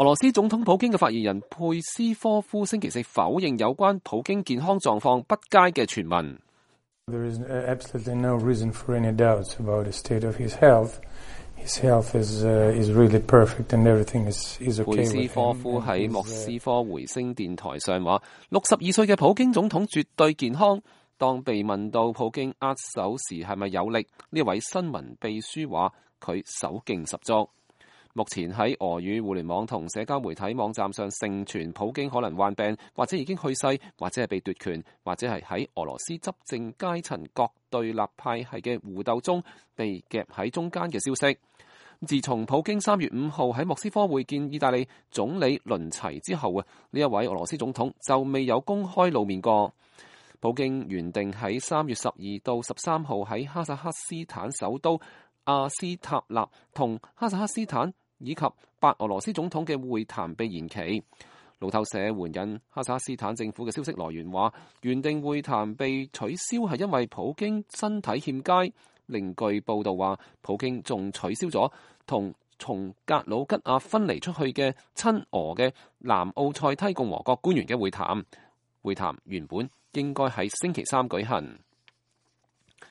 俄羅斯總統普京嘅發言人佩斯科夫星期四否認有關普京健康狀況不佳嘅傳聞。There is absolutely no reason for any doubts about the state of his health. His health is really perfect and everything is okay. 佩斯科夫喺莫斯科回聲電台上話，62歲嘅普京總統絕對健康。當被問到普京握手時係咪有力，呢位新聞秘書話佢手勁十足。目前喺俄語互聯網同社交媒體網站上盛傳普京可能患病，或者已經去世，或者係被奪權，或者係喺俄羅斯執政階層各對立派系嘅互鬥中被夾喺中間嘅消息。自從普京3月5號喺莫斯科會見意大利總理倫齊之後啊，呢一位俄羅斯總統就未有公開露面過。普京原定喺3月12到13號喺哈薩克斯坦首都阿斯塔納同哈薩克斯坦以及白俄羅斯總統嘅會談被延期。路透社援引哈薩克斯坦政府嘅消息來源話，原定會談被取消係因為普京身體欠佳。另據報道話，普京仲取消咗同從格魯吉亞分離出去嘅親俄嘅南奧塞梯共和國官員嘅會談。會談原本應該喺星期三舉行。